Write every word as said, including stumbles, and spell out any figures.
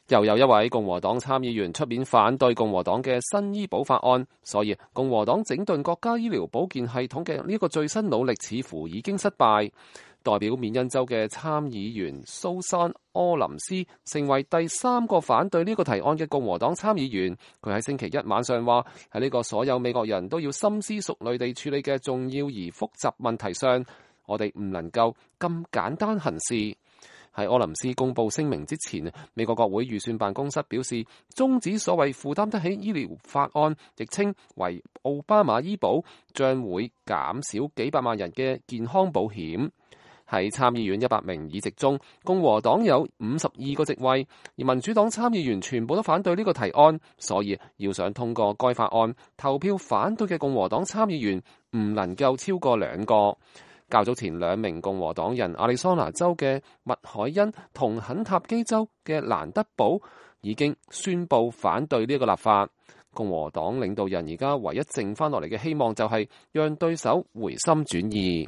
又有一位共和黨參議員出面反對共和黨嘅新醫保法案，所以共和黨整頓國家醫療保健系統嘅呢個最新努力似乎已經失敗。代表緬因州嘅參議員蘇珊·柯林斯成為第三個反對呢個提案嘅共和黨參議員。佢喺星期一晚上話：喺呢個所有美國人都要深思熟慮地處理嘅重要而複雜問題上，我哋唔能夠咁簡單行事。喺柯林斯公布聲明之前，美國國會預算辦公室表示，終止所謂負擔得起醫療法案，亦稱為奧巴馬醫保，將會減少幾百萬人嘅健康保險。喺參議院一百名議席中，共和黨有五十二個席位，而民主黨參議員全部都反對呢個提案，所以要想通過該法案，投票反對嘅共和黨參議員唔能夠超過兩個。較早前兩名共和黨人亞利桑那州嘅麥凱恩同肯塔基州嘅蘭德堡已經宣布反對呢個立法。共和黨領導人而家唯一剩翻落嚟嘅希望就係讓對手回心轉意。